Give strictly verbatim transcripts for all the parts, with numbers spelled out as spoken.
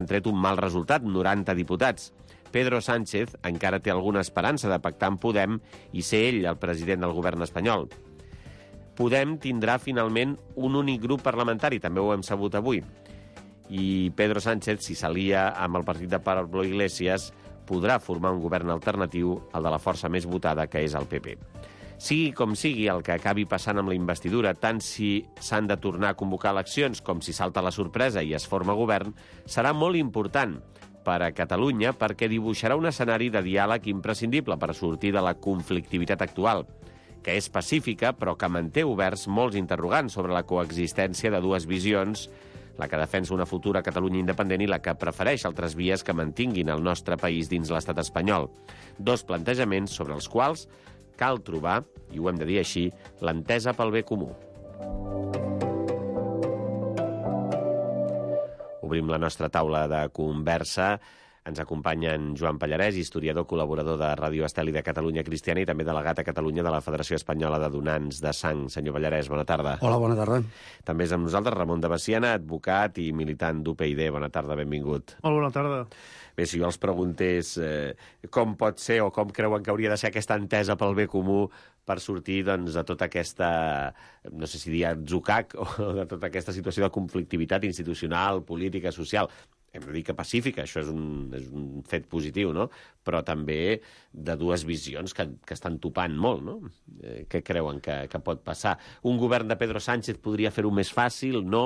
han tret un mal resultat, noranta diputats. Pedro Sánchez encara té alguna esperança de pactar amb Podem i ser ell el president del govern espanyol. Podem tindrà finalment un únic grup parlamentari, també ho hem sabut avui. I Pedro Sánchez, si s'alia amb el partit de Pablo Iglesias, podrà formar un govern alternatiu al de la força més votada, que és el P P. Sigui com sigui el que acabi passant amb la investidura, tant si s'han de tornar a convocar eleccions com si salta la sorpresa i es forma govern, serà molt important per a Catalunya perquè dibuixarà un escenari de diàleg imprescindible per sortir de la conflictivitat actual, que és pacífica però que manté oberts molts interrogants sobre la coexistència de dues visions, la que defensa una futura Catalunya independent i la que prefereix altres vies que mantinguin el nostre país dins l'estat espanyol. Dos plantejaments sobre els quals cal trobar, i ho hem de dir així, l'entesa pel bé comú. Obrim la nostra taula de conversa. Ens acompanyen Joan Pallarès, historiador, col·laborador de Ràdio Estel i de Catalunya Cristiana i també delegat a Catalunya de la Federació Espanyola de Donants de Sang. Senyor Pallarès, bona tarda. Hola, bona tarda. També és amb nosaltres Ramon de Baciana, advocat i militant d'U P I D. Bona tarda, benvingut. Molt bona tarda. Bé, si jo els preguntés eh, com pot ser o com creuen que hauria de ser aquesta entesa pel bé comú per sortir doncs, de tota aquesta, no sé si dir atzucac, o de tota aquesta situació de conflictivitat institucional, política, social. Hem de dir que pacífica, això és un, és un fet positiu, no? Però també de dues visions que, que estan topant molt, no? Eh, què creuen que, que pot passar? Un govern de Pedro Sánchez podria fer-ho més fàcil, no?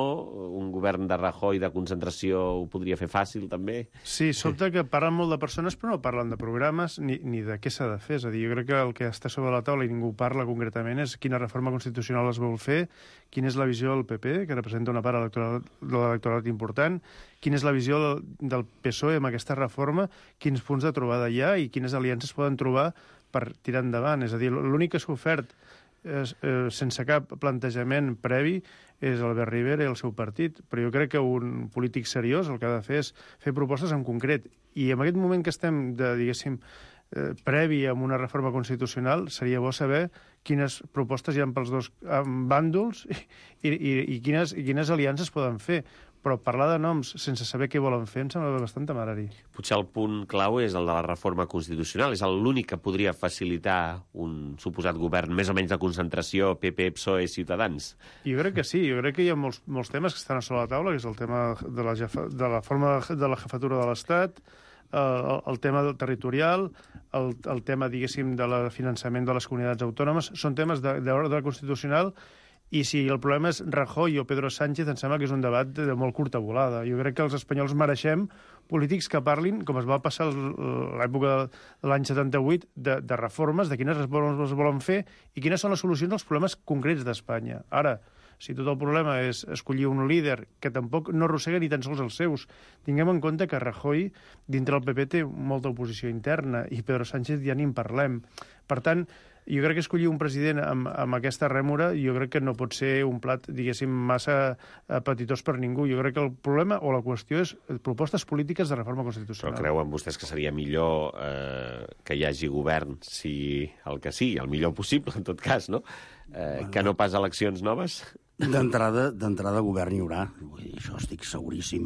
Un govern de Rajoy de concentració ho podria fer fàcil, també? Sí, sobte que parlen molt de persones, però no parlen de programes ni, ni de què s'ha de fer. És a dir, jo crec que el que està sobre la taula i ningú parla concretament és quina reforma constitucional es vol fer, quina és la visió del P P, que representa una part electoral, de l'electorat important, quina és la visió del P S O E amb aquesta reforma, quins punts de trobada hi ha i quines aliances poden trobar per tirar endavant. És a dir, l'únic que s'ha ofert és, eh, sense cap plantejament previ és Albert Rivera i el seu partit, però jo crec que un polític seriós el que ha de fer és fer propostes en concret. I en aquest moment que estem, de, diguéssim, eh, previ a una reforma constitucional, seria bo saber quines propostes hi ha pels dos bàndols i, i, i, quines, i quines aliances poden fer. Però parlar de noms sense saber què volen fer em sembla bastant temerari. Potser el punt clau és el de la reforma constitucional. És l'únic que podria facilitar un suposat govern més o menys de concentració P P, P S O E, Ciutadans. Jo crec que sí. Jo crec que hi ha molts, molts temes que estan a sobre la taula, que és el tema de la, de la forma de la jefatura de l'Estat, el, el tema territorial, el, el tema, diguéssim, del finançament de les comunitats autònomes. Són temes d'ordre constitucional. I si el problema és Rajoy o Pedro Sánchez, em sembla que és un debat de, de molt curta volada. Jo crec que els espanyols mereixem polítics que parlin, com es va passar l'època de l'any setanta-vuit, de, de reformes, de quines reformes es volen fer i quines són les solucions als problemes concrets d'Espanya. Ara, si tot el problema és escollir un líder que tampoc no arrossega ni tan sols els seus, tinguem en compte que Rajoy, dintre del P P, té molta oposició interna i Pedro Sánchez ja ni en parlem. Per tant, jo crec que escollir un president amb, amb aquesta rèmora jo crec que no pot ser un plat, diguéssim, massa apetitós per ningú. Jo crec que el problema o la qüestió és propostes polítiques de reforma constitucional. Però creuen vostès que seria millor eh, que hi hagi govern, si el que sigui, el millor possible, en tot cas, no? Eh, que no pas eleccions noves? D'entrada, d'entrada govern hi haurà. Vull dir, això estic seguríssim.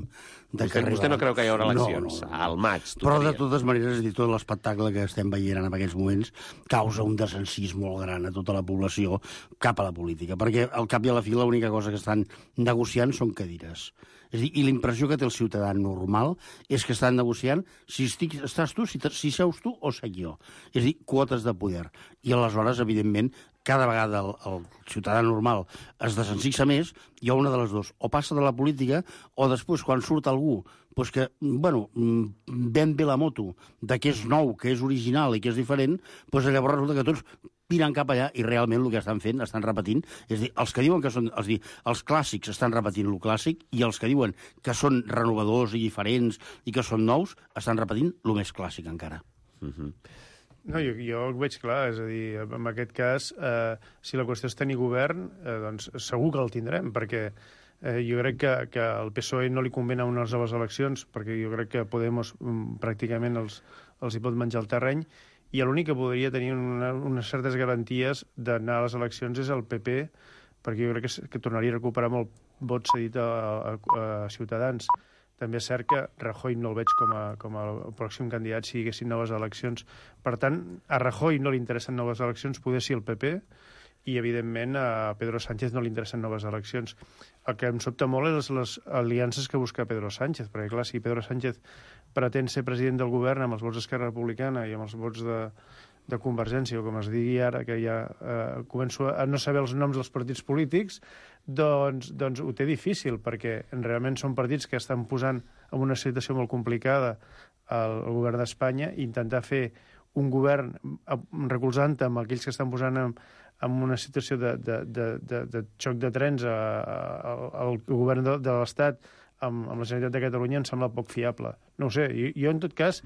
De vostè, que vostè no creu que hi haurà eleccions? No, no, no. Al maig, Però de totes maneres, és dir, tot l'espectacle que estem veient en aquests moments causa un desencís molt gran a tota la població cap a la política, perquè al cap i a la fi l'única cosa que estan negociant són cadires. És dir, i la impressió que té el ciutadà normal és que estan negociant si estic, estàs tu, si, si seus tu o sec jo. És a dir, quotes de poder. I aleshores, evidentment, cada vegada el, el ciutadà normal es desensixa més, hi ha una de les dues. O passa de la política, o després, quan surt algú doncs que, bueno, ven bé la moto de que és nou, que és original i que és diferent, doncs llavors resulta que tots piren cap allà i realment el que estan fent, estan repetint, és a dir, els que diuen que són, és dir, els clàssics estan repetint el clàssic i els que diuen que són renovadors i diferents i que són nous, estan repetint el més clàssic encara. Mhm. No, jo, jo ho veig clar, és a dir, en aquest cas, eh, si la qüestió és tenir govern, eh, doncs segur que el tindrem, perquè eh, jo crec que, que al P S O E no li convenen unes noves eleccions, perquè jo crec que Podemos mm, pràcticament els, els hi pot menjar el terreny, i l'únic que podria tenir una, unes certes garanties d'anar a les eleccions és el P P, perquè jo crec que, que tornaria a recuperar molt vot cedit a, a, a Ciutadans. també és cert que Rajoy no el veig com a, com a pròxim candidat si hi haguessin noves eleccions. Per tant, a Rajoy no li interessen noves eleccions, poder sí el P P, i, evidentment, a Pedro Sánchez no li interessen noves eleccions. El que em sobta molt és les aliances que busca Pedro Sánchez, perquè, clar, si Pedro Sánchez pretén ser president del govern amb els vots d'Esquerra Republicana i amb els vots de, de Convergència, o com es digui ara, que ja eh, començo a no saber els noms dels partits polítics, doncs, doncs ho té difícil, perquè realment són partits que estan posant en una situació molt complicada el, el govern d'Espanya, i intentar fer un govern recolzant amb aquells que estan posant en, en una situació de, de, de, de, de xoc de trens a, a, al govern de, de l'Estat amb, amb la Generalitat de Catalunya em sembla poc fiable. No ho sé, jo, jo en tot cas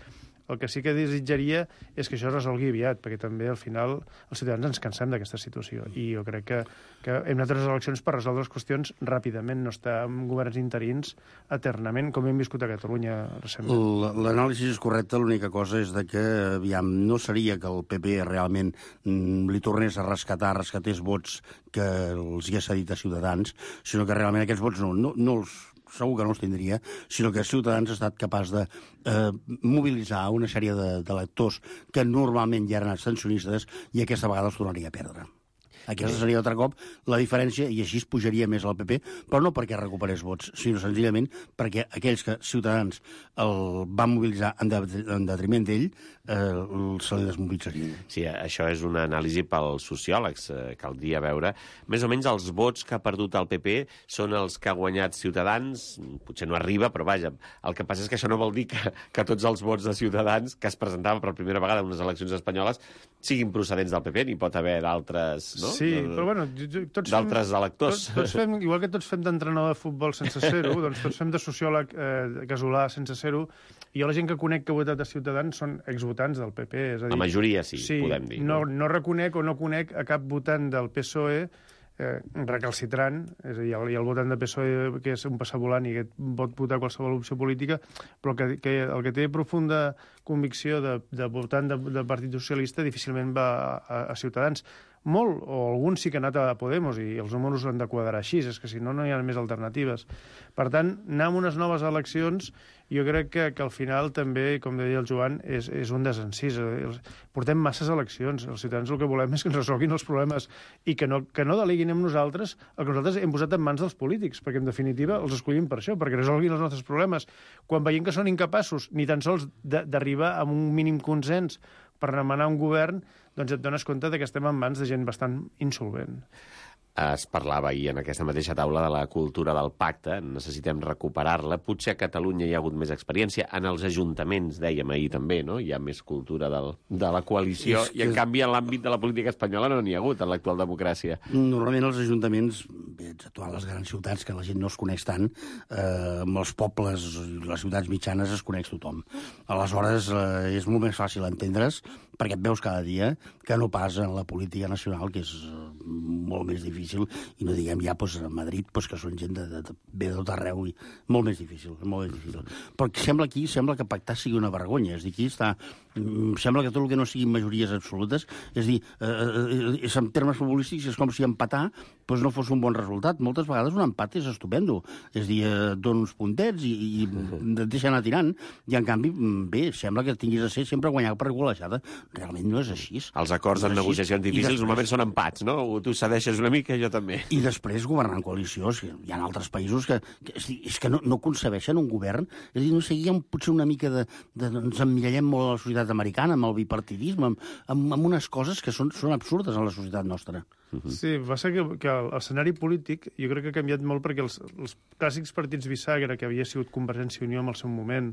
el que sí que desitjaria és que això es resolgui aviat, perquè també al final els ciutadans ens cansem d'aquesta situació, i jo crec que, que hem anat a les eleccions per resoldre les qüestions ràpidament, no estar amb governs interins eternament, com hem viscut a Catalunya recentment. L'anàlisi és correcta, l'única cosa és de que, aviam, no seria que el P P realment mm, li tornés a rescatar, rescatés vots que els hi ha cedit a Ciutadans, sinó que realment aquests vots no, no, no els segur que no els tindria, sinó que Ciutadans ha estat capaç de eh, mobilitzar una sèrie d'electors que normalment ja eren abstencionistes i aquesta vegada els tornaria a perdre. Aquesta seria altre cop la diferència, i així es pujaria més al P P, però no perquè recuperés vots, sinó senzillament perquè aquells que Ciutadans el van mobilitzar en, de, en detriment d'ell eh, se li desmobilitzarien. Sí, això és una anàlisi pels sociòlegs. Eh, caldria veure. Més o menys els vots que ha perdut el P P són els que ha guanyat Ciutadans. Potser no arriba, però vaja. El que passa és que això no vol dir que, que tots els vots de Ciutadans que es presentaven per primera vegada en unes eleccions espanyoles siguin procedents del P P. N'hi pot haver d'altres, no? Sí, però bueno, tots fem... D'altres electors. Tots, tots fem, igual que tots fem d'entrenador de futbol sense ser-ho, doncs tots fem de sociòleg eh, casolà sense ser-ho, i jo la gent que conec que ha votat a Ciutadans són exvotants del P P. És a dir, la majoria sí, sí, podem dir. No, no reconec o no conec a cap votant del P S O E eh, recalcitrant, és a dir, hi ha el votant del P S O E que és un passavolant i que pot votar qualsevol opció política, però que, que el que té profunda convicció de, de votant de, del Partit Socialista difícilment va a, a Ciutadans. Molt, o alguns sí que han anat a Podemos, i els números han de quadrar així, és que si no, no hi ha més alternatives. Per tant, anar amb unes noves eleccions, jo crec que, que al final també, com deia el Joan, és, és un desencís. Portem masses eleccions. Els ciutadans el que volem és que ens resolguin els problemes i que no, que no deleguin en nosaltres el que nosaltres hem posat en mans dels polítics, perquè en definitiva els escollim per això, perquè resolguin els nostres problemes. Quan veiem que són incapaços ni tan sols d'arribar a un mínim consens per demanar un govern, doncs et dones compte que estem en mans de gent bastant insolvent. Es parlava ahir en aquesta mateixa taula de la cultura del pacte, necessitem recuperar-la. Potser a Catalunya hi ha hagut més experiència, en els ajuntaments, dèiem ahir també, no? Hi ha més cultura del, de la coalició, i en canvi en l'àmbit de la política espanyola no n'hi ha hagut, en l'actual democràcia. Normalment els ajuntaments, bé, exceptuant les grans ciutats, que la gent no es coneix tant, eh, amb els pobles i les ciutats mitjanes es coneix tothom. Aleshores, eh, és molt més fàcil entendre's, perquè et veus cada dia, que no pas en la política nacional, que és eh, molt més difícil, i no diguem ja pues, a Madrid, pues, que són gent de, de, de, ve de tot arreu, i molt més difícil, molt més difícil. Però sembla aquí, sembla que pactar sigui una vergonya, és a dir, aquí està, sembla que tot el que no siguin majories absolutes, és a dir, eh, en termes futbolístics és com si empatar pues, no fos un bon resultat. Moltes vegades un empat és estupendo, és a dir, eh, dona uns puntets i, i et deixa anar tirant, i en canvi, bé, sembla que tinguis a ser sempre guanyar per golejada. Realment no és així. Els acords en negociacions difícils normalment són empats, no? Tu cedeixes una mica, jo també. I després governar en coalició. Hi ha altres països que, que és, dir, és que no, no concebeixen un govern. És a dir, no sé, hi ha potser una mica de, de... Ens emmirallem molt a la societat americana, amb el bipartidisme, amb, amb, amb unes coses que són, són absurdes en la societat nostra. Sí, va ser que, que l'escenari polític jo crec que ha canviat molt, perquè els, els clàssics partits bisagra, que havia sigut Convergència i Unió en el seu moment,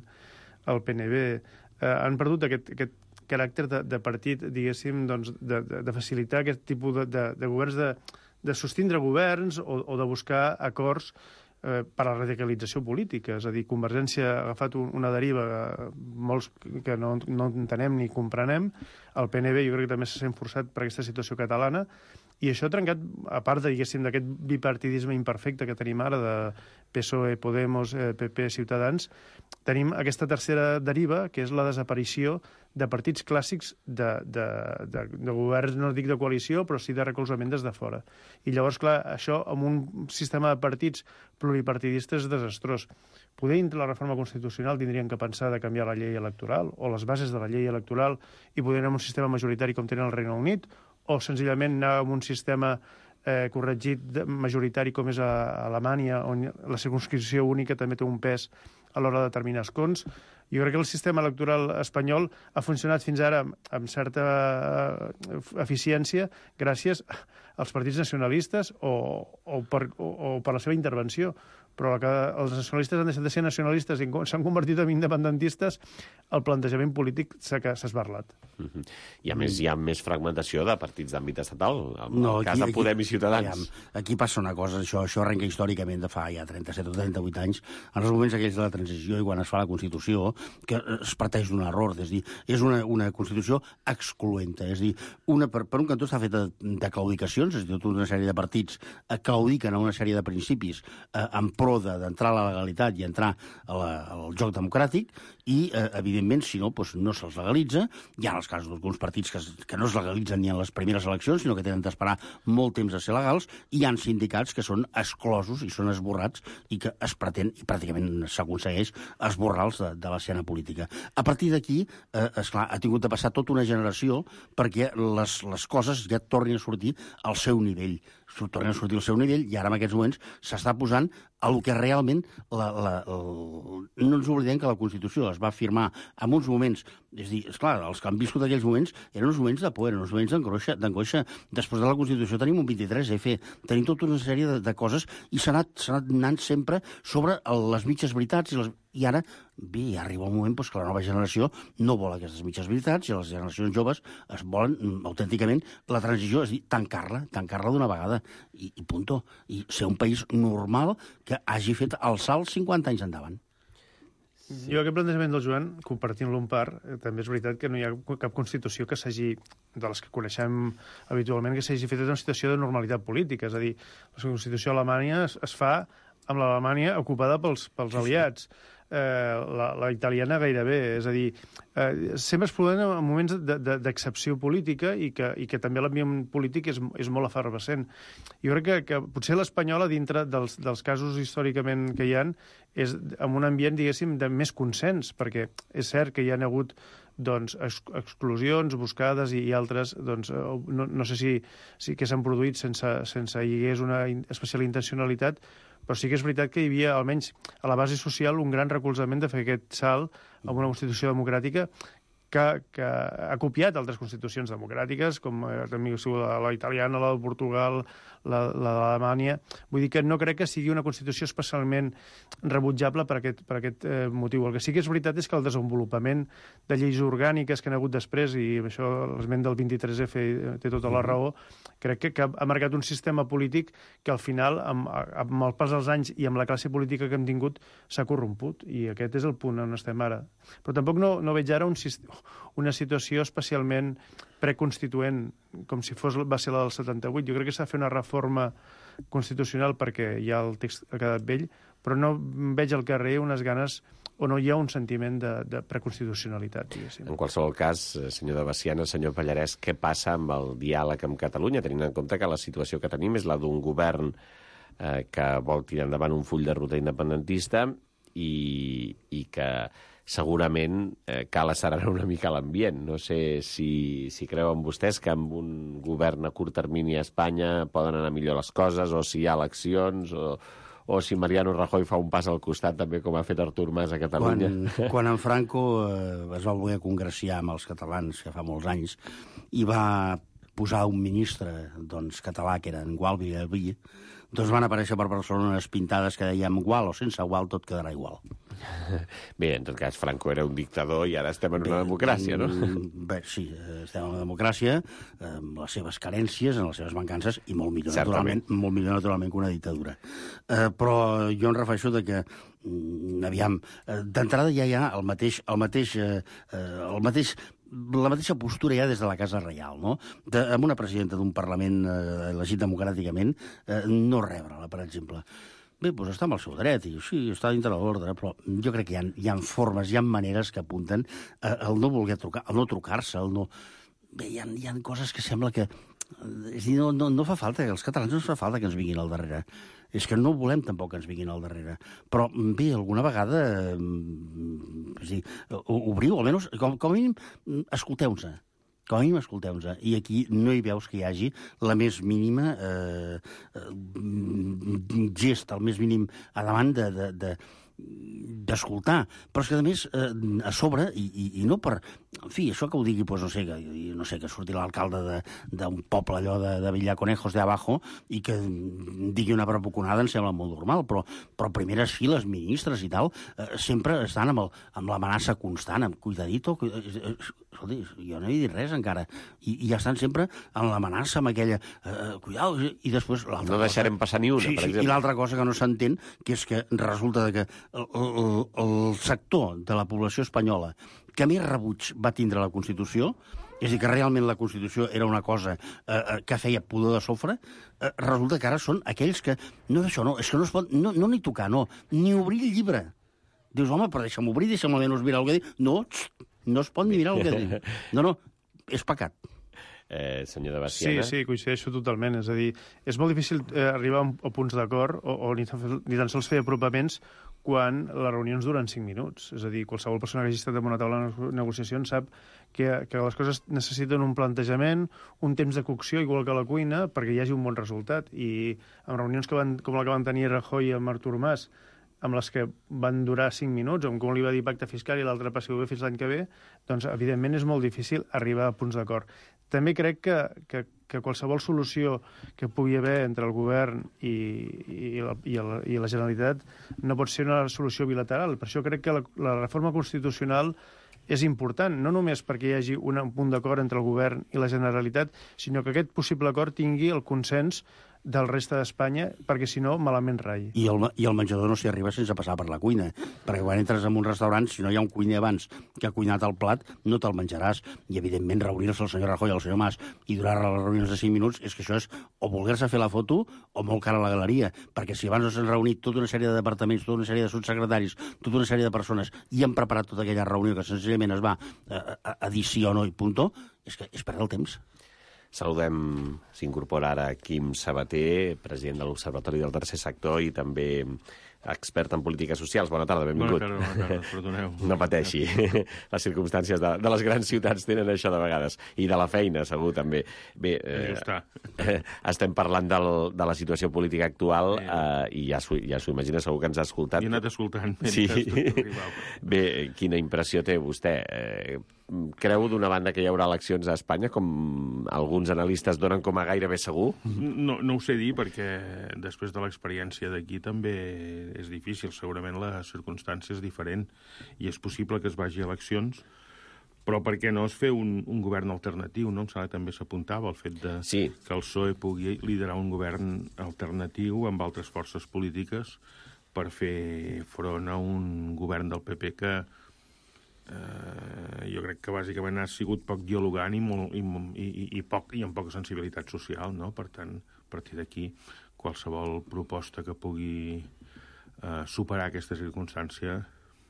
el P N B, eh, han perdut aquest, aquest caràcter de, de partit, diguéssim, doncs, de, de, de facilitar aquest tipus de, de, de governs, de, de sostindre governs o, o de buscar acords eh, per a la radicalització política. És a dir, Convergència ha agafat un, una deriva, eh, molts que no, no entenem ni comprenem. El P N B jo crec que també s'ha sent forçat per aquesta situació catalana, I això ha trencat, a part de, diguéssim, d'aquest bipartidisme imperfecte que tenim ara de P S O E, Podemos, eh, P P, Ciutadans, tenim aquesta tercera deriva, que és la desaparició de partits clàssics de, de, de, de governs, no dic de coalició, però sí de recolzament des de fora. I llavors, clar, això amb un sistema de partits pluripartidistes és desastrós. Poder, la reforma constitucional tindrien que pensar de canviar la llei electoral o les bases de la llei electoral i poder anar amb un sistema majoritari com tenen el Regne Unit, o senzillament anar amb un sistema eh, corregit de, majoritari com és a, a Alemanya, on la circunscripció única també té un pes a l'hora de determinar escons. Jo crec que el sistema electoral espanyol ha funcionat fins ara amb certa eficiència gràcies als partits nacionalistes o, o, per, o, o per la seva intervenció. Però que els nacionalistes han deixat de ser nacionalistes i s'han convertit en independentistes, el plantejament polític s'ha esbarlat. Mm-hmm. I a més hi ha més fragmentació de partits d'àmbit estatal, en no, el cas aquí, de Podem i Ciutadans. Aquí, aquí passa una cosa, això, això arrenca històricament de fa ja trenta-set o trenta-vuit anys, en els moments aquells de la transició i quan es fa la Constitució, que es parteix d'un error, és dir, és una, una Constitució excloenta, és dir, una, per, per un cantó està feta de claudicacions, és a dir, tota una sèrie de partits claudiquen a una sèrie de principis eh, en pro d'entrar a la legalitat i entrar a la, al joc democràtic i, eh, evidentment, si no, doncs no se'ls legalitza. Hi ha els casos d'alguns partits que, que no es legalitzen ni en les primeres eleccions, sinó que tenen d'esperar molt temps a ser legals, i hi ha sindicats que són exclosos i són esborrats i que es pretén, i pràcticament s'aconsegueix, esborrar-los de, de l'escena política. A partir d'aquí, eh, esclar, ha tingut de passar tota una generació perquè les, les coses ja tornin a sortir al seu nivell. Tornen a sortir al seu nivell i ara en aquests moments s'està posant a lo que realment la, la, el... no ens oblidem que la Constitució es va firmar en uns moments, és a dir, esclar, els que han viscut aquells moments eren uns moments de por, eren uns moments d'angoixa. Després de la Constitució tenim un vint-i-tres efa, tenim tota una sèrie de, de coses i s'ha anat, s'ha anat anant sempre sobre les mitges veritats i les... I ara, bé, ja arriba un moment doncs, que la nova generació no vol aquestes mitges veritats i les generacions joves es volen autènticament la transició, és a dir, tancar-la, tancar-la d'una vegada i, i punto. I ser un país normal que hagi fet el salt cinquanta anys endavant. Sí. Jo aquest plantejament del Joan, compartint-lo en part, eh, també és veritat que no hi ha cap Constitució que s'hagi, de les que coneixem habitualment, que s'hagi fet en una situació de normalitat política. És a dir, la Constitució alemanya es, es fa amb l'Alemanya ocupada pels, pels sí, aliats. Sí. Eh, la, la italiana gairebé, és a dir, eh, sempre es produeixen en moments d'excepció política i que, i que també l'ambient polític és, és molt efervescent. Jo crec que, que potser l'espanyola, dintre dels, dels casos històricament que hi ha, és amb un ambient, diguéssim, de més consens, perquè és cert que hi ha hagut doncs, ex exclusions buscades i, i altres, doncs, no, no sé si, si que s'han produït sense, sense hi hagués una especial intencionalitat, però sí que és veritat que hi havia, almenys a la base social, un gran recolzament de fer aquest salt a una Constitució democràtica que, que ha copiat altres constitucions democràtiques, com també la, la italiana, la de Portugal, la, la d'Alemanya. Vull dir que no crec que sigui una Constitució especialment rebutjable per aquest, per aquest eh, motiu. El que sí que és veritat és que el desenvolupament de lleis orgàniques que han hagut després, i això l'esment del vint-i-tres efa té tota la raó, crec que, que ha marcat un sistema polític que al final, amb, amb el pas dels anys i amb la classe política que hem tingut, s'ha corromput. I aquest és el punt on estem ara. Però tampoc no, no veig ara un, una situació especialment preconstituent, com si fos, va ser la del setanta-vuit. Jo crec que s'ha de fer una reforma constitucional perquè ja el text ha quedat vell, però no veig al carrer unes ganes o no hi ha un sentiment de, de preconstitucionalitat, diguéssim. En qualsevol cas, senyor de Baciana, senyor Pallarès, què passa amb el diàleg amb Catalunya, tenint en compte que la situació que tenim és la d'un govern eh, que vol tirar endavant un full de ruta independentista i, i que segurament eh, cal accelerar una mica l'ambient. No sé si, si creuen vostès que amb un govern a curt termini a Espanya poden anar millor les coses, o si hi ha eleccions, o, o si Mariano Rajoy fa un pas al costat, també com ha fet Artur Mas a Catalunya. Quan, quan en Franco eh, es va voler congraciar amb els catalans, que fa molts anys, i va posar un ministre doncs, català, que era en Gual Villalbí, doncs van aparèixer per Barcelona unes pintades que dèiem igual o sense igual, tot quedarà igual. Bé, en tot cas, Franco era un dictador i ara estem en una bé, democràcia, no? Bé, sí, estem en una democràcia, amb les seves carències, amb les seves mancances, i molt millor, naturalment, molt millor naturalment que una dictadura. Eh, però jo em refereixo de que aviam, d'entrada ja hi ha el mateix, el mateix, eh, el mateix la mateixa postura ja des de la Casa Reial, no? De, amb una presidenta d'un Parlament eh, elegit democràticament, eh, no rebre-la, per exemple. Bé, doncs està amb el seu dret, i sí, està dintre de l'ordre, però jo crec que hi ha, hi ha formes, hi ha maneres que apunten eh, el no voler trucar, el no trucar-se, el no... Bé, hi ha, hi ha coses que sembla que... És dir, no, no, no fa falta, els catalans no ens fa falta que ens vinguin al darrere. És que no volem tampoc que ens vinguin al darrere. Però, bé, alguna vegada... Eh, és dir, obriu, almenys, com, com a mínim, escolteu-nos. Com a mínim, escolteu-nos. I aquí no hi veus que hi hagi la més mínima eh, gest, el més mínim a davant de... de, de d'escoltar, però és que a més eh, a sobre, i, i, i no per en fi, això que ho digui, doncs no sé, que, no sé, que surti l'alcalde d'un poble allò de, de Villaconejos de Abajo i que digui una bravuconada em sembla molt normal, però, però primeres files, ministres i tal, eh, sempre estan amb, el, amb l'amenaça constant, amb cuidadito, cuidadito. Escolti, jo no he dit res encara, i, i ja estan sempre amb l'amenaça, amb aquella eh, cuidado, i després l'altra no deixarem cosa, passar ni una, sí, per sí, exemple. I l'altra cosa que no s'entén, que és que resulta que el, el, el sector de la població espanyola que més rebuig va tindre la Constitució, és a dir, que realment la Constitució era una cosa eh, que feia pudor de sofre, eh, resulta que ara són aquells que... No és això, no, és que no es pot... No, no ni tocar, no, ni obrir el llibre. Dius, home, però deixa'm obrir, deixa'm almenys mirar el que diu. No, txt, no es pot ni mirar el que diu. No, no, és pecat. Eh, senyor de Bastiana. Sí, sí, coincideixo totalment. És a dir, és molt difícil eh, arribar a punts d'acord o, o ni, tan, ni tan sols fer apropaments quan les reunions duren cinc minuts. És a dir, qualsevol persona que hagi estat en una taula de negociacions sap que, que les coses necessiten un plantejament, un temps de cocció, igual que a la cuina, perquè hi hagi un bon resultat. I en reunions que van, com la que van tenir Rajoy amb Artur Mas, amb les que van durar cinc minuts, com li va dir pacte fiscal i l'altre passi bé fins l'any que ve, doncs, evidentment, és molt difícil arribar a punts d'acord. També crec que, que, que qualsevol solució que pugui haver entre el govern i, i, la, i, la, i la Generalitat no pot ser una solució bilateral. Per això crec que la, la reforma constitucional és important, no només perquè hi hagi un punt d'acord entre el govern i la Generalitat, sinó que aquest possible acord tingui el consens del reste d'Espanya, perquè si no, malament rai. I el, I el menjador no s'hi arriba sense passar per la cuina, perquè quan entres en un restaurant, si no hi ha un cuiner abans que ha cuinat el plat, no te'l menjaràs. I, evidentment, reunir-se el senyor Rajoy i el senyor Mas i durar les reunions de cinc minuts, és que això és o voler-se fer la foto o molt cara a la galeria, perquè si abans s'han reunit tota una sèrie de departaments, tota una sèrie de subsecretaris, tota una sèrie de persones, i han preparat tota aquella reunió que senzillament es va a, a, a dir sí o no i punto, és que és perdre el temps. Saludem, s'incorpora ara Quim Sabater, president de l'Observatori del Tercer Sector i també expert en polítiques socials. Bona tarda, benvingut. Bona tarda, bona tarda, perdoneu. No pateixi. Les circumstàncies de, de les grans ciutats tenen això de vegades. I de la feina, segur, també. Bé, eh, eh, estem parlant del, de la situació política actual sí. eh, i ja s'ho ja s'ho imagina, segur que ens ha escoltat. I he anat escoltant. Sí. Bé, quina impressió té vostè? Eh, creu, d'una banda, que hi haurà eleccions a Espanya, com alguns analistes donen com a gairebé segur? No, no ho sé dir, perquè després de l'experiència d'aquí també és difícil. Segurament la circumstància és diferent i és possible que es vagi a eleccions, però per què no es fer un, un govern alternatiu, no? Em sembla que també s'apuntava el fet de sí. que el P S O E pugui liderar un govern alternatiu amb altres forces polítiques per fer front a un govern del P P que eh, jo crec que bàsicament ha sigut poc dialogant i, molt, i, i, i, poc, i amb poca sensibilitat social, no? Per tant, a partir d'aquí, qualsevol proposta que pugui eh, superar aquesta circumstància...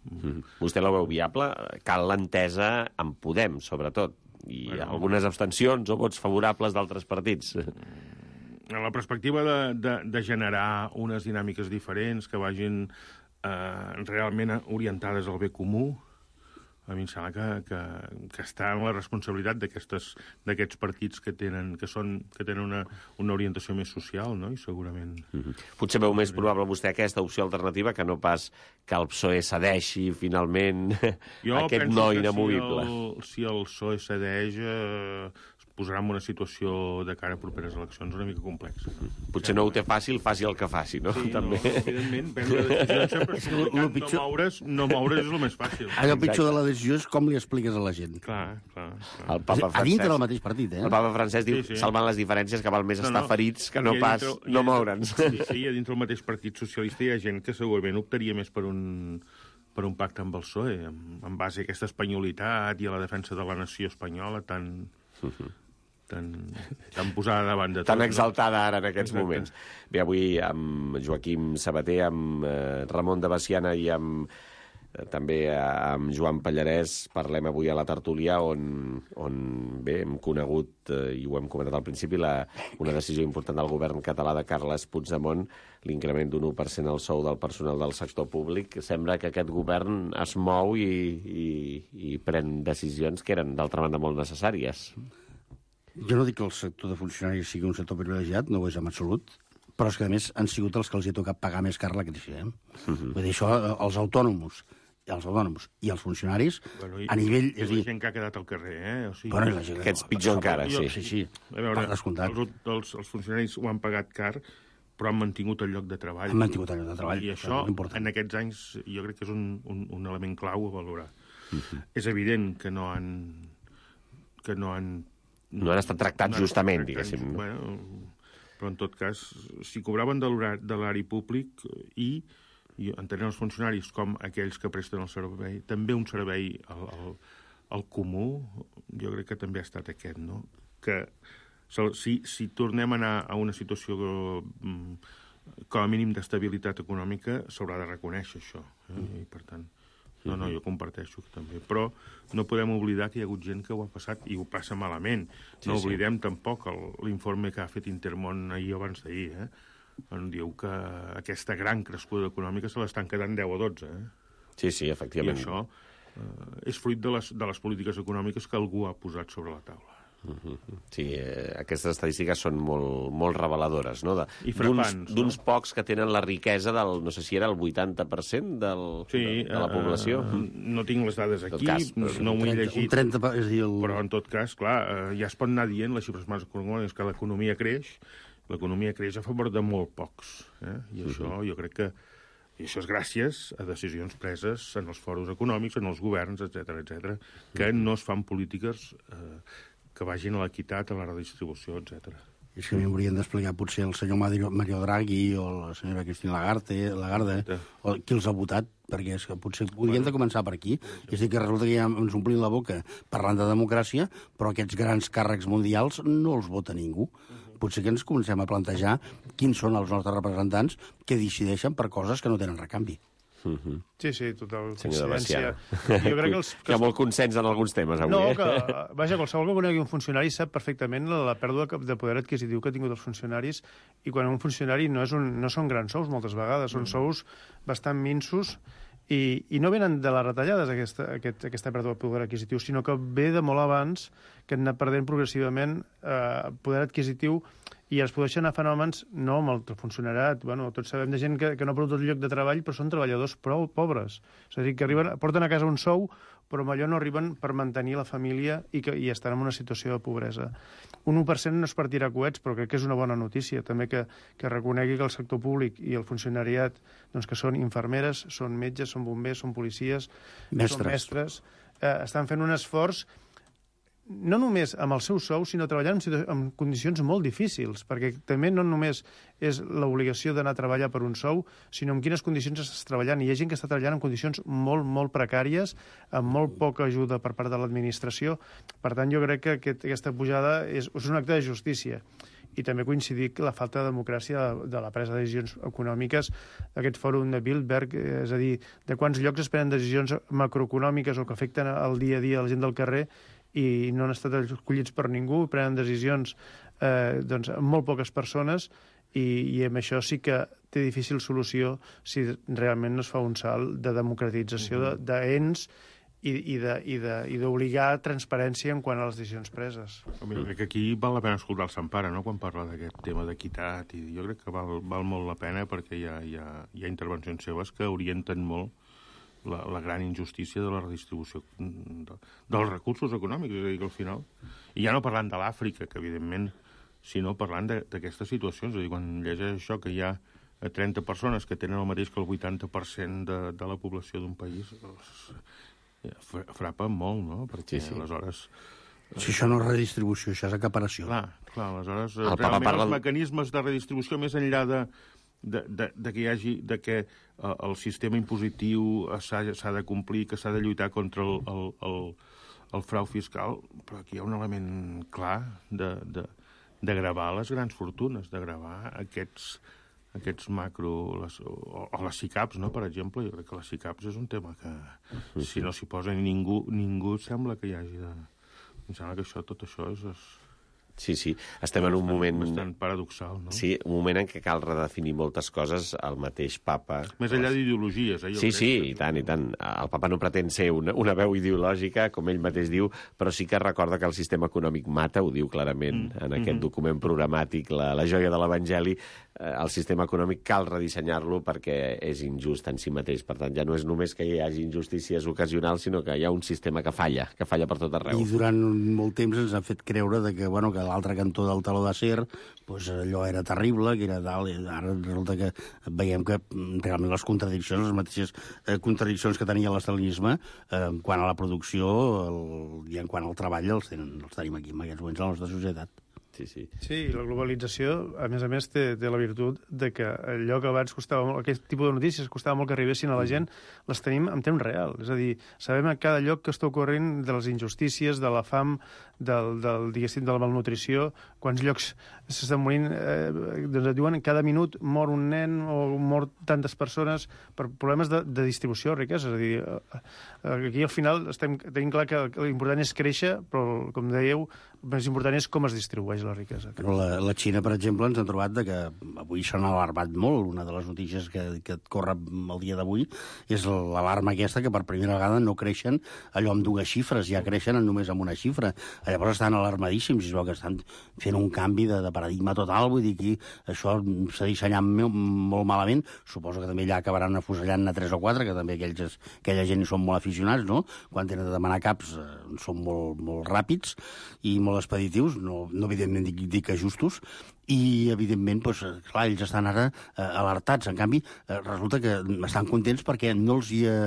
Mm. Vostè la veu viable? Cal l'entesa amb Podem, sobretot, i bueno, algunes abstencions o vots favorables d'altres partits. En la perspectiva de, de, de generar unes dinàmiques diferents que vagin eh, realment orientades al bé comú, a mi em sembla que, que, que està en la responsabilitat d'aquests partits que tenen, que són, que tenen una, una orientació més social, no? I segurament... Mm-hmm. Potser veu més probable vostè aquesta opció alternativa que no pas que el P S O E cedeixi finalment jo aquest no inamovible. Si el, si el P S O E cedeix, eh, posarà en una situació de cara a properes eleccions una mica complexa. Potser no ho té fàcil, faci el que faci, no? Sí, també. No, evidentment, prendre decisions sempre si el pitjor... no, moure's, no moure's és el més fàcil. El pitjor de la decisió és com li expliques a la gent. Clar, clar. clar. El Papa Francesc, a dintre del mateix partit, eh? El Papa Francesc diu, sí, sí. salvant les diferències, que val més no, estar no. ferits que no pas dintre, no moure'ns. Sí, sí, a dintre del mateix Partit Socialista hi ha gent que segurament optaria més per un per un pacte amb el P S O E, en, en base a aquesta espanyolitat i a la defensa de la nació espanyola tan, tan, tan posada davant de tot. Tan exaltada ara en aquests Exacte. moments. Bé, avui amb Joaquim Sabater, amb eh, Ramon de Baciana i amb eh, també amb Joan Pallarès parlem avui a la tertúlia on, on bé, hem conegut, eh, i ho hem comentat al principi, la, una decisió important del govern català de Carles Puigdemont, l'increment d'un u per cent al sou del personal del sector públic. Sembla que aquest govern es mou i, i, i pren decisions que eren, d'altra banda, molt necessàries. Jo no dic que el sector de funcionaris sigui un sector privilegiat, no ho és en absolut, però és que, a més, han sigut els que els hi ha tocat pagar més car la crisi. Eh? Uh-huh. Vull dir, això, els autònoms, els autònoms i els funcionaris, bueno, i, a nivell... I és la dir, gent que ha quedat al carrer, eh? O sigui, bueno, la gent, Aquests pitjor encara, jo, sí. Sí, sí, a veure, per descomptat. els, els, els funcionaris ho han pagat car, però han mantingut el lloc de treball. Han mantingut el lloc de treball. I això, això en aquests anys, jo crec que és un, un, un element clau a valorar. Uh-huh. És evident que no han... que no han... No han estat tractats no justament, tractats, diguéssim. No? Bueno, però en tot cas, si cobraven de l'horari públic i, i entenent els funcionaris com aquells que presten el servei, també un servei al, al, al comú, jo crec que també ha estat aquest, no? Que si, si tornem a anar a una situació com a mínim d'estabilitat econòmica, s'haurà de reconèixer això. Eh? I, per tant, no, no, jo comparteixo també. Però no podem oblidar que hi ha hagut gent que ho ha passat i ho passa malament. No sí, oblidem sí. tampoc l'informe que ha fet Intermón ahir o abans d'ahir, eh? On diu que aquesta gran crescuda econòmica se l'estan quedant deu o dotze. Eh? Sí, sí, efectivament. I això eh, és fruit de les, de les polítiques econòmiques que algú ha posat sobre la taula. Uh-huh. Sí, eh, aquestes estadístiques són molt, molt reveladores, no? D'uns no? pocs que tenen la riquesa del, no sé si era el vuitanta per cent del, sí, de, de la població. Uh, no tinc les dades aquí, cas, no, no m'ho he llegit. Un trenta, és dir, el... Però, en tot cas, clar, uh, ja es pot anar dient, les xifres més econòmiques, que l'economia creix, l'economia creix a favor de molt pocs. Eh? I uh-huh. això jo crec que i això és gràcies a decisions preses en els fòrums econòmics, en els governs, etcètera, etcètera, que no es fan polítiques eh, que vagin a l'equitat, a la redistribució, etcètera. És que m'haurien d'explicar potser el senyor Mario Draghi o la senyora Cristina Lagarde, Lagarde o qui els ha votat, perquè és que potser hauríem de començar per aquí. És a dir, que resulta que ja ens omplim la boca parlant de democràcia, però aquests grans càrrecs mundials no els vota ningú. Potser que ens comencem a plantejar quins són els nostres representants que decideixen per coses que no tenen recanvi. Uh-huh. Sí, sí, total coincidència. Jo crec que els, que Hi ha molt consens en alguns temes avui. No, eh? que, vaja, qualsevol que conegui un funcionari sap perfectament la, la pèrdua de poder adquisitiu que ha tingut els funcionaris, i quan un funcionari no, és un, no són grans sous moltes vegades, són sous bastant minsos, i, i no venen de les retallades aquesta, aquest, aquesta pèrdua de poder adquisitiu, sinó que ve de molt abans, que han anat perdent progressivament eh, poder adquisitiu, i es produeixen a fenòmens, no amb el funcionariat, bueno, tots sabem de gent que, que no ha perdut el lloc de treball, però són treballadors prou pobres. És a dir, que arriben, porten a casa un sou, però amb allò no arriben per mantenir la família i, que, i estan en una situació de pobresa. Un u per cent no es partirà a coets, però crec que és una bona notícia. També que, que reconegui que el sector públic i el funcionariat, doncs, que són infermeres, són metges, són bombers, són policies, mestres. són mestres, eh, estan fent un esforç no només amb el seu sou, sinó treballant en, en condicions molt difícils, perquè també no només és l'obligació d'anar a treballar per un sou, sinó en quines condicions estàs treballant. I hi ha gent que està treballant en condicions molt, molt precàries, amb molt poca ajuda per part de l'administració. Per tant, jo crec que aquest, aquesta pujada és, és un acte de justícia. I també coincidir que la falta de democràcia de, de la presa de decisions econòmiques, aquest fòrum de Bilderberg, és a dir, de quants llocs es prenen decisions macroeconòmiques o que afecten el dia a dia a la gent del carrer, i no han estat escollits per ningú, prenen decisions eh, doncs, amb molt poques persones, i, i amb això sí que té difícil solució si realment no es fa un salt de democratització d'ens i, i d'obligar transparència en quant a les decisions preses. Jo crec que aquí val la pena escoltar el Sampara, no?, quan parla d'aquest tema d'equitat, i jo crec que val, val molt la pena perquè hi ha, hi ha, hi ha intervencions seves que orienten molt La, la gran injustícia de la redistribució de, dels recursos econòmics, és a dir, que al final... I ja no parlant de l'Àfrica, que evidentment, sinó parlant d'aquestes situacions, és a dir, quan llegeix això que hi ha trenta persones que tenen el mateix que el vuitanta per cent de, de la població d'un país, doncs, frapa molt, no? Perquè sí, sí. aleshores... Si això no és redistribució, això és acaparació. Clar, clar, aleshores, el realment parla... els mecanismes de redistribució, més enllà de de, de, de que hi hagi, de que uh, el sistema impositiu s'ha de complir, que s'ha de lluitar contra el, el, el, el frau fiscal, però aquí hi ha un element clar de, de, de gravar les grans fortunes, de gravar aquests, aquests macro... Les, o, o les SICAPs, no?, per exemple. Jo crec que les SICAPs és un tema que, si no s'hi posa ningú, ningú sembla que hi hagi de... Em sembla que això, tot això és... és Sí, sí, estem en un bastant, moment... bastant paradoxal, no? Sí, un moment en què cal redefinir moltes coses. El mateix papa... Més enllà d'ideologies, eh? Jo Sí, crec sí, que... i tant, i tant. El papa no pretén ser una, una veu ideològica, com ell mateix diu, però sí que recorda que el sistema econòmic mata, ho diu clarament mm. en aquest mm-hmm. document programàtic, la, la joia de l'Evangeli. Eh, el sistema econòmic cal redissenyar-lo perquè és injust en si mateix. Per tant, ja no és només que hi hagi injustícies ocasionals, sinó que hi ha un sistema que falla, que falla per tot arreu. I durant molt temps ens ha fet creure de que, bueno, que l'altre cantó del taló d'acer, pues, allò era terrible, que era dalt, i ara resulta que veiem que realment les contradiccions, les mateixes eh, contradiccions que tenia l'estalinisme eh, quant a la producció el, i en quant al treball els, tenen, els tenim aquí en aquests moments a la nostra societat. Sí, sí. Sí, i la globalització, a més a més, té, té la virtut de que allò que abans costava molt, aquest tipus de notícies costava molt que arribessin a la gent, les tenim en temps real. És a dir, sabem a cada lloc que està ocorrent de les injustícies, de la fam, del, del, diguéssim, de la malnutrició, quants llocs s'estan morint, eh, doncs et diuen cada minut mor un nen o mor tantes persones per problemes de, de distribució de riquesa. És a dir, eh, aquí al final estem, tenim clar que l'important és créixer, però, com dèieu, el més important és com es distribueix la riquesa. Però la, la Xina, per exemple, ens han trobat de que avui s'han alarmat molt. Una de les notícies que, que et corre el dia d'avui és l'alarma aquesta que per primera vegada no creixen allò amb dues xifres, ja creixen només amb una xifra. Llavors estan alarmadíssims, i es veu que estan fent un canvi de, de paradigma total, vull dir que això s'ha dissenyat molt malament. Suposo que també ja acabaran afusellant a tres o quatre, que també aquells, aquella gent són molt aficionats, no? Quan tenen de demanar caps eh, són molt, molt ràpids i molt expeditius, no, no evidentment dic, dic que justos, i, evidentment, doncs, clar, ells estan ara eh, alertats. En canvi, eh, resulta que estan contents perquè no els hi ha,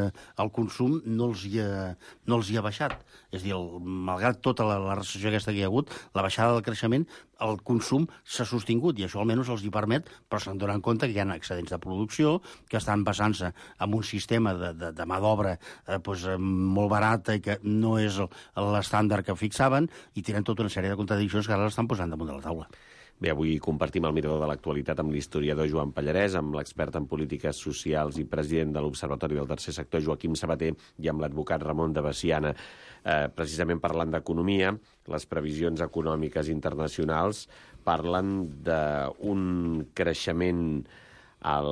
el consum no els hi ha, no els hi ha baixat. És a dir, el, malgrat tota la, la recessió aquesta que hi ha hagut, la baixada del creixement, el consum s'ha sostingut, i això almenys els hi permet, però se'n donen compte que hi ha excedents de producció, que estan basant-se en un sistema de, de, de mà d'obra eh, doncs, molt barata i que no és l'estàndard que fixaven, i tenen tota una sèrie de contradiccions que ara l'estan posant damunt de la taula. Bé, avui compartim el mirador de l'actualitat amb l'historiador Joan Pallarès, amb l'expert en polítiques socials i president de l'Observatori del Tercer Sector, Joaquim Sabater, i amb l'advocat Ramon de Veciana. Eh, precisament parlant d'economia, les previsions econòmiques internacionals parlen d'un creixement, el,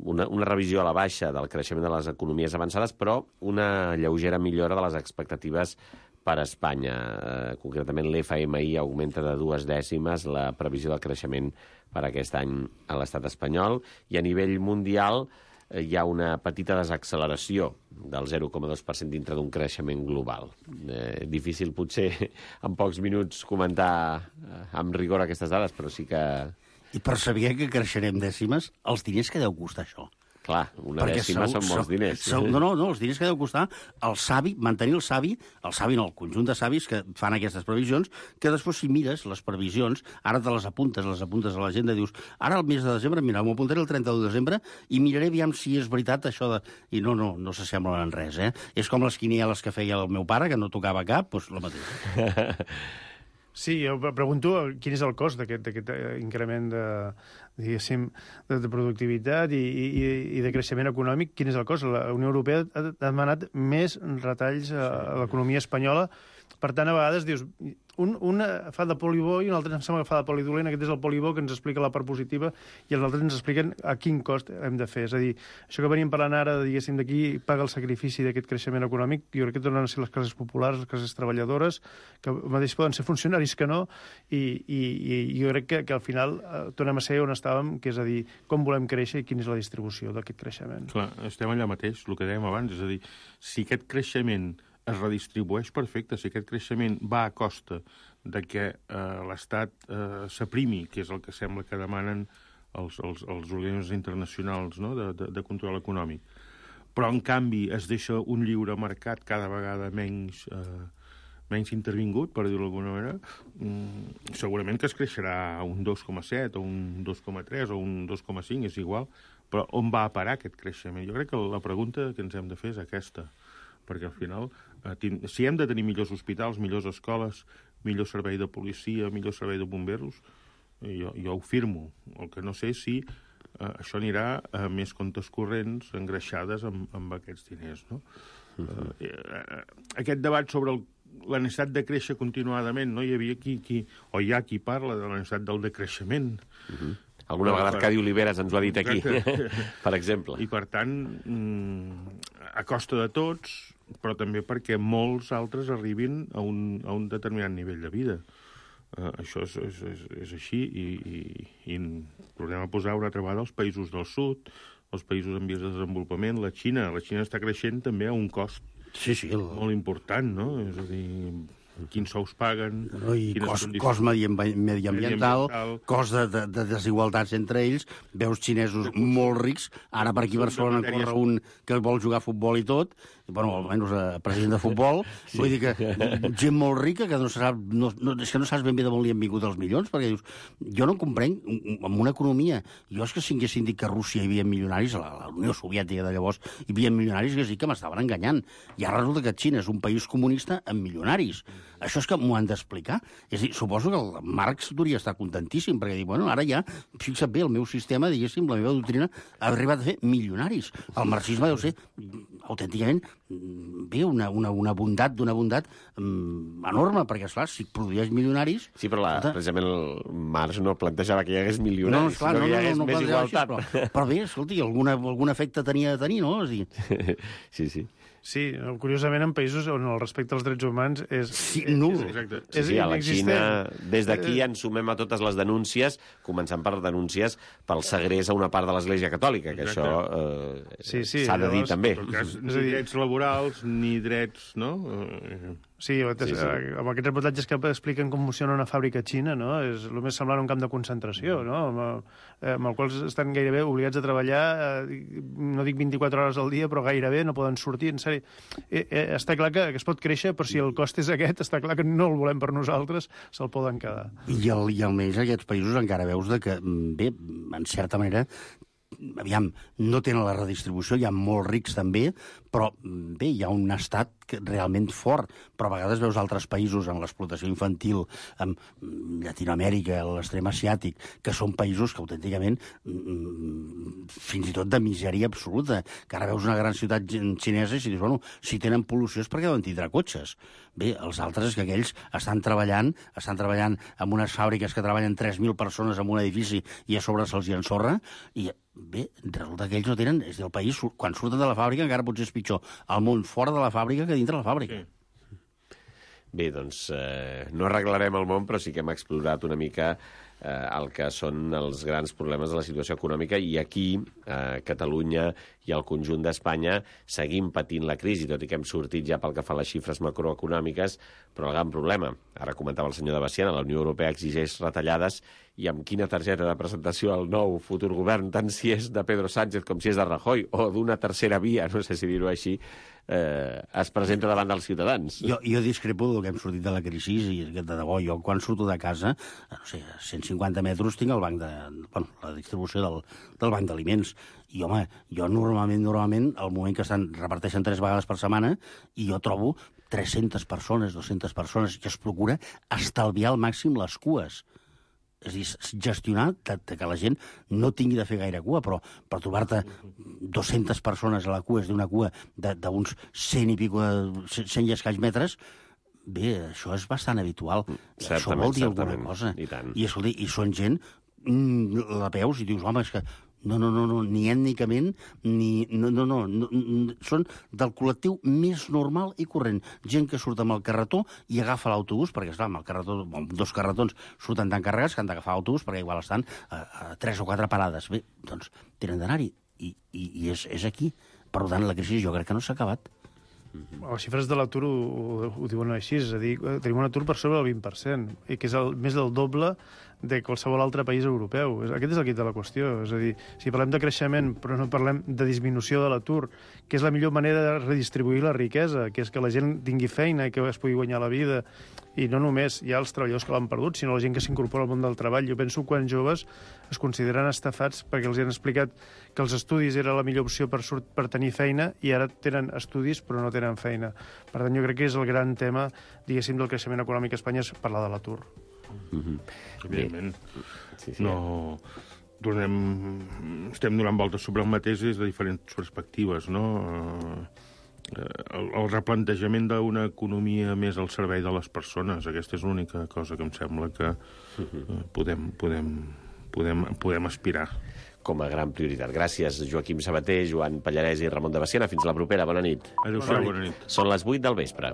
una, una revisió a la baixa del creixement de les economies avançades, però una lleugera millora de les expectatives per a Espanya. Eh, concretament, l'F M I augmenta de dues dècimes la previsió del creixement per aquest any a l'estat espanyol, i a nivell mundial eh, hi ha una petita desacceleració del zero coma dos per cent dintre d'un creixement global. Eh, difícil, potser, en pocs minuts comentar eh, amb rigor aquestes dades, però sí que... I per saber que creixerem dècimes, els diners que deu costar això? Clar, una Perquè dècima són molts sou, diners. Sou, no, no, no, els diners que deu costar el savi, mantenir el savi, el savi no, el conjunt de savis que fan aquestes previsions, que després si mires les previsions, ara te les apuntes, les apuntes a l'agenda, dius, ara el mes de desembre, mira, m'ho apuntaré el trenta-u de desembre i miraré aviam si és veritat això de... I no, no, no s'assemblen en res, eh? És com les quinieles que feia el meu pare, que no tocava cap, doncs la mateixa. Sí, jo pregunto quin és el cost d'aquest increment de, diguéssim, de, de productivitat i, i, i de creixement econòmic. Quin és el cost? La Unió Europea ha demanat més retalls a, a l'economia espanyola. Per tant, a vegades dius, un, un fa de polibó i un altre em sembla que fa de polidolent. Aquest és el polibó que ens explica la part positiva i els altres ens expliquen a quin cost hem de fer. És a dir, això que venim parlant ara, diguéssim, d'aquí paga el sacrifici d'aquest creixement econòmic, jo crec que tornen a ser les classes populars, les classes treballadores, que mateix poden ser funcionaris que no, i, i, i jo crec que, que al final eh, tornem a ser on estàvem, que és a dir, com volem créixer i quina és la distribució d'aquest creixement. Clar, estem allà mateix, el que dèiem abans, és a dir, si aquest creixement es redistribueix perfecte, si aquest creixement va a costa de que eh, l'Estat eh, s'aprimi, que és el que sembla que demanen els, els, els organismes internacionals, no?, de, de, de control econòmic. Però, en canvi, es deixa un lliure mercat cada vegada menys, eh, menys intervingut, per dir-ho d'alguna manera, mm, segurament que es creixerà un dos coma set o un dos coma tres o un dos coma cinc, és igual, però on va a parar aquest creixement? Jo crec que la pregunta que ens hem de fer és aquesta, perquè al final, eh, si hem de tenir millors hospitals, millors escoles, millor servei de policia, millor servei de bomberos, jo, jo ho firmo. El que no sé és si eh, això anirà a més comptes corrents engreixades amb, amb aquests diners, no? Uh, eh, aquest debat sobre el, la necessitat de créixer continuadament, no? Hi havia qui, qui, o hi ha qui parla de la necessitat del decreixement. Uh-huh. Alguna vegada Arcadi Oliveres ens ho ha dit aquí, per exemple. I, per tant, a costa de tots, però també perquè molts altres arribin a un, a un determinat nivell de vida. Uh, això és, és, és, és així, i, i, i tornem a posar una altra vegada els països del sud, els països en vies de desenvolupament, la Xina. La Xina està creixent també a un cost sí, sí, el... molt important, no? És a dir, quins sous paguen... No, i cost, cost mediambiental, cost de, de, de desigualtats entre ells, veus xinesos molt rics, ara per aquí a Barcelona en corre un que vol jugar a futbol i tot, bueno, almenys eh, president de futbol, sí. Vull dir que gent molt rica que no sap, no, no, és que no saps ben bé d'on li han vingut els milions, perquè dius, jo no comprenc, amb una economia, jo és que si haguessin dit que a Rússia hi havia milionaris, a la, la Unió Soviètica de llavors hi havia milionaris, que sí que m'estaven enganyant. I ara resulta que Xina és un país comunista amb milionaris. Això és que m'ho han d'explicar. És a dir, suposo que el Marx hauria estar contentíssim, perquè diu, bueno, ara ja, fixa't bé, el meu sistema, diguéssim, la meva doctrina, ha arribat a fer milionaris. El marxisme deu ser, autènticament, bé, una, una, una bondat, d'una bondat um, enorme, perquè, esclar, si produeix milionaris... Sí, però la, escolta, precisament el Marx no plantejava que hi hagués milionaris, no, esclar, sinó no, que hi hagués no, no, no més igualtat. Així, però, però bé, escolti, alguna, algun efecte tenia de tenir, no? És dir... Sí, sí. Sí, curiosament, en països on el respecte als drets humans és... Sí, nul. És, és, és sí, sí, a la Xina, des d'aquí ens sumem a totes les denúncies, començant per denúncies pel segrest a una part de l'Església Catòlica, que exacte. Això eh, s'ha sí, sí, de dir llavors, també. Cas, ni drets laborals, ni drets, no? Eh... Sí, sí, sí, amb aquests reportatges que expliquen com funciona una fàbrica xina, no? És el més semblant a un camp de concentració, no? Amb, el, amb el qual estan gairebé obligats a treballar, eh, no dic vint-i-quatre hores al dia, però gairebé no poden sortir, en sèrie. Eh, eh, està clar que, que es pot créixer, però si el cost és aquest, està clar que no el volem per nosaltres, se'l poden quedar. I, el, i almenys aquests països encara veus de que, bé, en certa manera, aviam, no tenen la redistribució, hi ha molts rics també, però bé, hi ha un estat que realment fort, però a vegades veus altres països en l'explotació infantil, en Llatinoamèrica, l'extrem asiàtic, que són països que autènticament fins i tot de misèria absoluta, que ara veus una gran ciutat xinesa i si dius, bueno, si tenen pol·lució és perquè deuen tindre cotxes. Bé, els altres que aquells estan treballant, estan treballant en unes fàbriques que treballen tres mil persones en un edifici i a sobre se'ls hi ensorra, i bé, resulta que ells no tenen... És a dir, el país, quan surten de la fàbrica, encara potser és pitjor el món fora de la fàbrica que dintre la fàbrica. Sí. Bé, doncs eh, no arreglarem el món, però sí que hem explorat una mica eh, el que són els grans problemes de la situació econòmica, i aquí, a Catalunya i al conjunt d'Espanya, seguim patint la crisi, tot i que hem sortit ja pel que fa a les xifres macroeconòmiques, però el gran problema, ara comentava el senyor de Baciana, la Unió Europea exigeix retallades, i amb quina targeta de presentació al nou futur govern, tant si és de Pedro Sánchez com si és de Rajoy, o d'una tercera via, no sé si dir-ho així, eh, es presenta davant dels ciutadans. Jo, jo discrepo del que hem sortit de la crisi, i de debò, jo quan surto de casa, no sé, a cent cinquanta metres tinc el banc de... Bueno, la distribució del, del banc d'aliments. I, home, jo normalment, normalment, al moment que estan, reparteixen tres vegades per setmana, i jo trobo tres-centes persones, dues-centes persones, que es procura estalviar al màxim les cues. És a dir, gestionar que, que la gent no tingui de fer gaire cua, però per trobar-te dues-centes persones a la cua, és d'una cua d'uns cent i pico, cent i escaig metres, bé, això és bastant habitual. Certament, això vol dir certament. Alguna cosa. I tant. I, escolta, i són gent, mm, la veus i dius, home, és que no, no, no, no, ni ètnicament, ni... No, no, no, no, no, són del col·lectiu més normal i corrent. Gent que surt amb el carretó i agafa l'autobús, perquè, esclar, amb el carretó, dos carretons surten tan carregats que han d'agafar l'autobús perquè igual estan a, a tres o quatre parades. Bé, doncs tenen d'anar-hi, i, i, i és, és aquí. Per tant, la crisi jo crec que no s'ha acabat. Les xifres de l'atur ho, ho diuen així, és a dir, tenim un atur per sobre del vint per cent, i que és el, més del doble de qualsevol altre país europeu. Aquest és el quid de la qüestió. És a dir, si parlem de creixement però no parlem de disminució de l'atur, que és la millor manera de redistribuir la riquesa, que és que la gent tingui feina i que es pugui guanyar la vida, i no només hi ha els treballadors que l'han perdut, sinó la gent que s'incorpora al món del treball. Jo penso que quan joves es consideren estafats perquè els han explicat que els estudis era la millor opció per, sort, per tenir feina, i ara tenen estudis però no tenen feina. Per tant, jo crec que és el gran tema, diguéssim, del creixement econòmic a Espanya, és parlar de l'atur. Mm-hmm. Evidentment. Sí, sí. No... Tornem... Estem donant voltes sobre el mateix des de diferents perspectives, no? El, el replantejament d'una economia més al servei de les persones, aquesta és l'única cosa que em sembla que podem, podem, podem, podem aspirar. Com a gran prioritat. Gràcies, Joaquim Sabater, Joan Pallarès i Ramon de Basiana. Fins la propera. Bona nit. Adéu-siau, bona nit. Són les vuit del vespre.